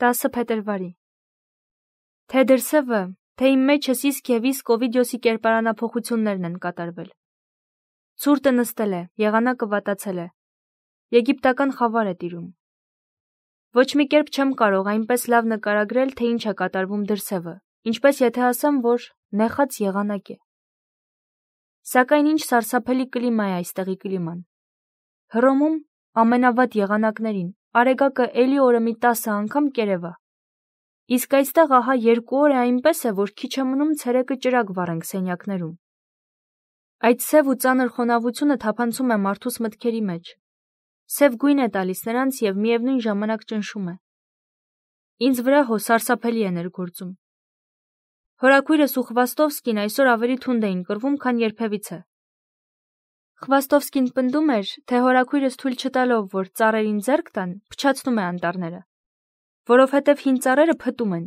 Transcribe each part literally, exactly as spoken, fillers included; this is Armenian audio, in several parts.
տասը փետրվարի։ Թե դրսևը, թե իմ մեջս իսկ և իսկ Օվիդիոսի կերպարանափոխություններն են կատարվել։ Ցուրտը նստել է, եղանակը վատացել է։ Եգիպտական խավար է տիրում։ Ոչ մի կերպ չեմ կարող այնպես լավ նկարագրել, թե ինչ է կատարվում դրսևը, ինչպես եթե ասեմ, որ նեխած եղանակ է։ Սակայն ինչ սարսափելի կլիմա է այստեղի կլիման։ Հռոմում ամենավատ եղանակներին արեգակը էլի օրը մի տասը անգամ կերևա։ Իսկ այստեղ ահա երկու օր է այնպես է, որ քիչ է մնում ցերեկը ճրագ վառենք սենյակներում։ Այդ սև ու ծանր խոնավությունը թափանցում է մարդուս մտքերի մեջ։ Սև գույն է տալիս նրանց և միևնույն ժամանակ ճնշում է։ Ինձ վրա հո սարսափելի է ներգործում։ Հորաքույրս ու Խվաստովսկին այսօր ավելի թունդ էին կռվում, քան երբևիցե։ Խվաստովսկին պնդում էր, թե հորաքույրս թույլ չտալով, որ ծառերին ձեռք տան, փչացնում է անտառները, որովհետև հին ծառերը փտում են։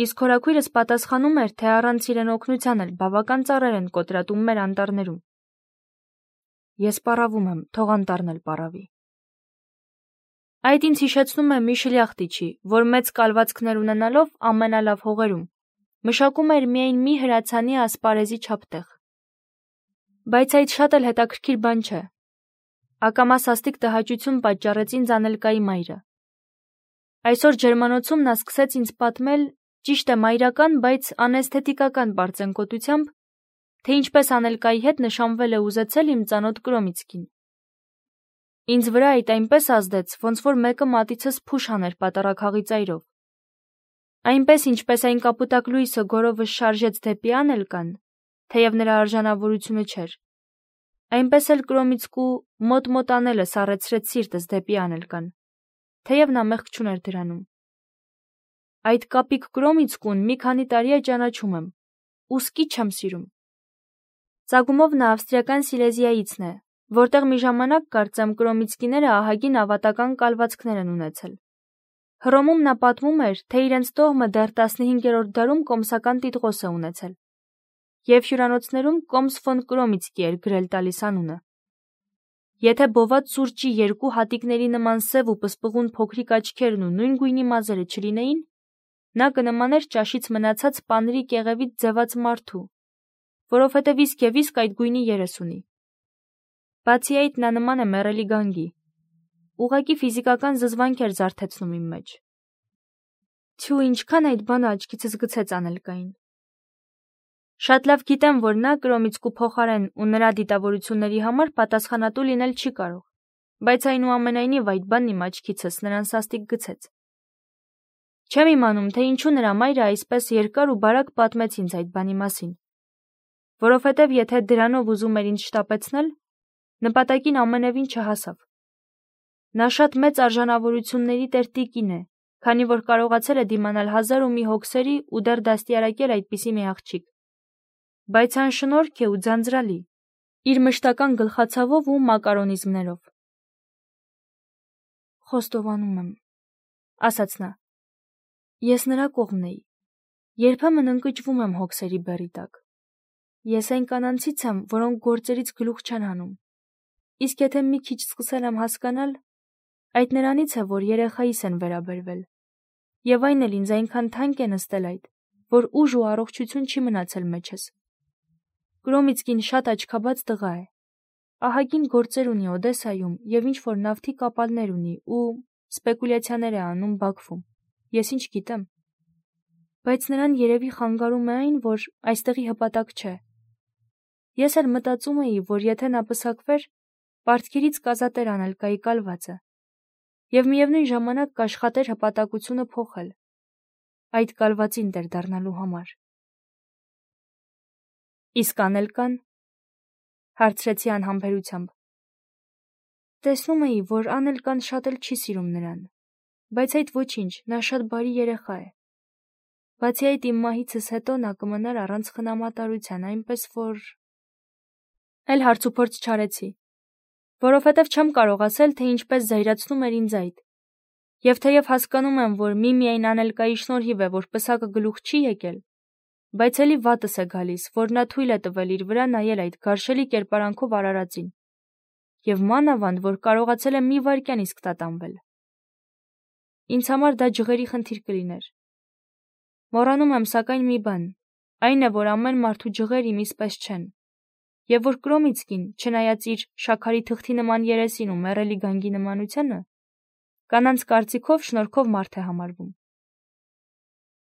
Իսկ հորաքույրս պատասխանում էր, թե առանց իրեն օգնության էլ բավական ծառեր են կոտրատում մեր անտառներում։ Ես պառավում եմ, թող անտառն էլ պառավի։ Այդ ինձ հիշեցնում է մի շլյախտիչի, որ մեծ կալվածքներ ունենալով ամենալավ հողերում մշակում էր միայն մի հրացանի ասպարեզի չափ տեղ։ Բայց այդ շատ էլ հետաքրքիր բան չէ։ Ակամա սաստիկ տհաճություն պատճառեց ինձ Անելկայի մայրը։ Այսօր ջերմանոցում նա սկսեց ինձ պատմել, ճիշտ է մայրական, բայց անէսթետիկական պարծենկոտությամբ, թե ինչպես Անելկայի հետ նշանվել է ուզեցել իմ ծանոթ Կրոմիցկին։ Ինձ վրա այդ այնպես ազդեց, ոնց որ մեկը մատիցս փուշ աներ պատառաքաղի ծայրով։ Այնպես ինչպես այն կապուտակ լույսը գորովս շարժեց դեպի Անելկան, թեև նրա արժանավորությունը չէր, այնպես էլ Կրոմիցկու մոտ-մոտ անելը սառեցրեց սիրտս դեպի Անելկան, թեև նա մեղք չուներ դրանում։ Այդ կապիկ Կրոմիցկուն մի քանի տարի է ճանաչում եմ, ուսկի չեմ սիրում։ Ծագումով նա ավստրիական Սիլեզիայիցն է, որտեղ մի ժամանակ կարծեմ Կրոմիցկիները ահագին ավատական կալվածքներ են ունեցել։ Հռոմում նա պատմում էր, թե իրենց տոհմը դեռ տասնհինգերորդ դարում կոմսական տիտղոս է ունեցել, և հյուրանոցներում Կոմս ֆոն Կրոմիցկի էր գրել տալիս անունը։ Եթե բոված սուրճի երկու հատիկների նման սև ու պսպղուն փոքրիկ աչքերն ու նույն գույնի մազերը չլինեին, նա կնմաներ ճաշից մնացած պանրի կեղևից ձևած մարդու, որովհետև իսկ և իսկ այդ գույնի երես ունի։ Բացի այդ, նա նման է մեռելի գանգի։ Ուղղակի ֆիզիկական զզվանք էր զարթեցնում իմ մեջ։ Թյու, ինչքան այդ բանը աչքիցս գցեց Անելկային։ Շատ լավ գիտեմ, որ նա Կրոմիցկու փոխարեն ու նրա դիտավորությունների համար պատասխանատու լինել չի կարող, բայց այնուամենայնիվ այդ բանն իմ աչքիցս նրան սաստիկ գցեց։ Չեմ իմանում, թե ինչու նրա մայրը այսպես երկար ու բարակ պատմեց ինձ այդ բանի մասին, որովհետև եթե դրանով ուզում էր ինձ շտապեցնել, նպատակին ամենևին չհասավ։ Նա շատ մեծ արժանավորությունների տեր տիկին է, քանի որ կարողացել է դիմանալ հազար ու մի հոգսերի ու դեռ դաստիարակել այդպիսի մի աղջիկ։ Բայց անշնորհք է ու ձանձրալի, իր մշտական գլխացավով ու մակարոնիզմներով։ Խոստովանում եմ, ասաց նա, ես նրա կողմն էի, երբեմն ընկճվում եմ հոգսերի բեռի տակ։ Ես այն կանանցից եմ, որոնք գործերից գլուխ չեն հանում, իսկ եթե մի քիչ սկսել եմ հասկանալ, այդ նրանից է, որ երեխայիս են վերաբերվել, և այն էլ ինձ այնքան թանկ է նստել այդ, որ ուժ ու առողջություն չի մնացել մեջս։ Կրոմիցկին շատ աչքաբաց տղա է, ահագին գործեր ունի Օդեսայում և ինչ-որ նավթի կապալներ ունի ու սպեկուլյացիաներ է անում Բաքվում, ես ինչ գիտեմ։ Բայց նրան երևի խանգարում է այն, որ այստեղի հպատակ չէ։ Ես էլ մտածում էի, որ եթե նա պսակվեր, պարտքերից կազատեր Անելկայի կալվածը, և միևնույն ժամանակ կաշխատեր հպատակությունը փոխել, այդ կալվածին տեր դառնալու համար։ Իսկ Անելկան, հարցրեցի անհամբերությամբ։ Տեսնում էի, որ Անելկան շատ էլ չի սիրում նրան, բայց այդ ոչինչ, նա շատ բարի երեխա է։ Բացի այդ իմ մահիցս հետո նա կմնար առանց խնամատարության, այնպես որ… Էլ հարցուփորձ չարեցի, որովհետև չեմ կարող ասել, թե ինչպես զայրացնում էր ինձ այդ, և թեև հասկանում եմ, որ միմիայն Անելկայի շնորհիվ է, որ պսակը գլուխ չի եկել, բայց էլի վատս է գալիս, որ նա թույլ է տվել իր վրա նայել այդ գարշելի կերպարանքով արարածին, և մանավանդ, որ կարողացել է մի վայրկյան իսկ տատանվել։ ինձ համար դա ջղերի խնդիր կլիներ։ Մոռանում եմ սակայն մի բան, այն է, որ ամեն մարդու ջղեր իմիս պես չեն, եւ որ Կրոմիցկին, չնայած իր շաքարի թղթի նման երեսին ու մեռելի գանգի նմանությանը, կանանց կարծիքով շնորհքով մարդ է համարվում։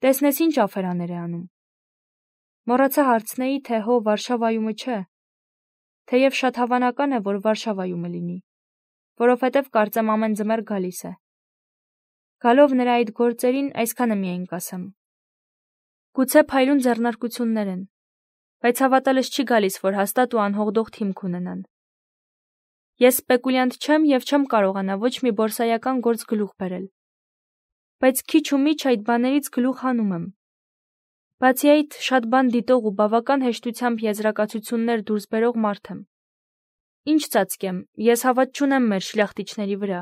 Տեսնես ինչ աֆերաներ է անում։ Մոռացա հարցնեի, թե հո Վարշավայումը չէ, թեև շատ հավանական է, որ Վարշավայումը լինի, որովհետև կարծեմ ամեն ձմեռ գալիս է։ Գալով նրա այդ գործերին այսքանը միայն կասեմ. գուցե փայլուն ձեռնարկություններ են, բայց հավատալս չի գալիս, որ հաստատ ու անհողդող թիմք ունենան։ Ես սպեկուլյանտ չեմ եւ չեմ կարողանա ոչ մի բորսայական գործ գլուխ բերել, բայց քիչ ու միչ այդ բաներից գլուխ հանում եմ։ Բացի այդ, շատ բան դիտող ու բավական հեշտությամբ եզրակացություններ դուրս բերող մարդ եմ։ Ինչ ծածկեմ, ես հավատ չունեմ մեր շլյախտիչների վրա,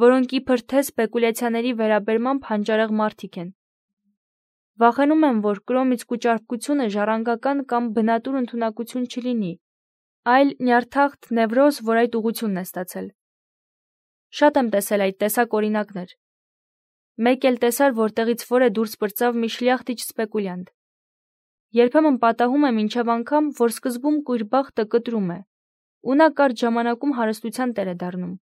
որոնք իբր թե սպեկուլյացիաների վերաբերմամբ հանճարեղ մարդիկ են։ Վախենում եմ, որ Կրոմիցկու ճարպկությունը ժառանգական կամ բնատուր ընդունակություն չլինի, այլ նյարդաղտ նևրոզ, որ այդ ուղղությունն է ստացել։ Շատ եմ տեսել այդ տեսակ օրինակներ։ Մեկ էլ տեսար, որտեղից որ է դուրս պրծավ մի շլյախտիչ սպեկուլյանտ։ Երբեմն պատահում է մինչև անգամ, որ սկզբում կույր բախտը կտրում է, ու նա կարճ ժամանակում հարստության տեր է դառնում։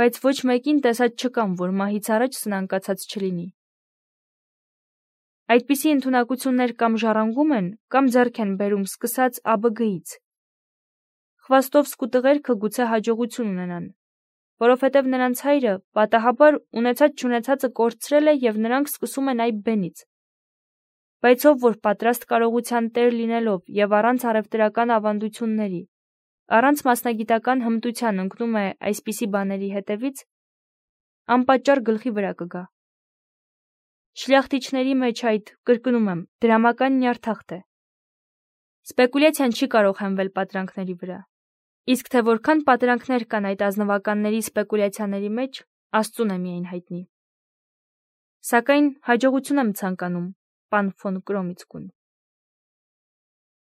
Բայց ոչ մեկին տեսած չկամ, որ մահից առաջ սնանկացած չլինի։ Այդպիսի ընդունակություններ կամ ժառանգում են, կամ ձեռք են բերում սկսած Ա Բ Գ-ից։ Խվաստովսկու տղերքը գուցե հաջողություն ունենան, որովհետև նրանց հայրը պատահաբար ունեցած-չունեցածը կորցրել է եւ նրանք սկսում են այ բենից։ Բայց ով որ պատրաստ կարողության տեր լինելով եւ առանց առևտրական ավանդությունների, առանց մասնագիտական հմտության ընկնում է այսպիսի բաների հետևից, անպատճառ գլխի վրա կգա։ Շլյախտիչների մեջ այդ, կրկնում եմ, դրամական նյարդաղտ է։ Սպեկուլյացիան չի կարող հենվել պատրանքների վրա։ Իսկ թե որքան պատրանքներ կան այդ ազնվականների սպեկուլյացիաների մեջ, Աստծուն է միայն հայտնի։ Սակայն հաջողություն եմ ցանկանում, պան ֆոն Կրոմիցկուն։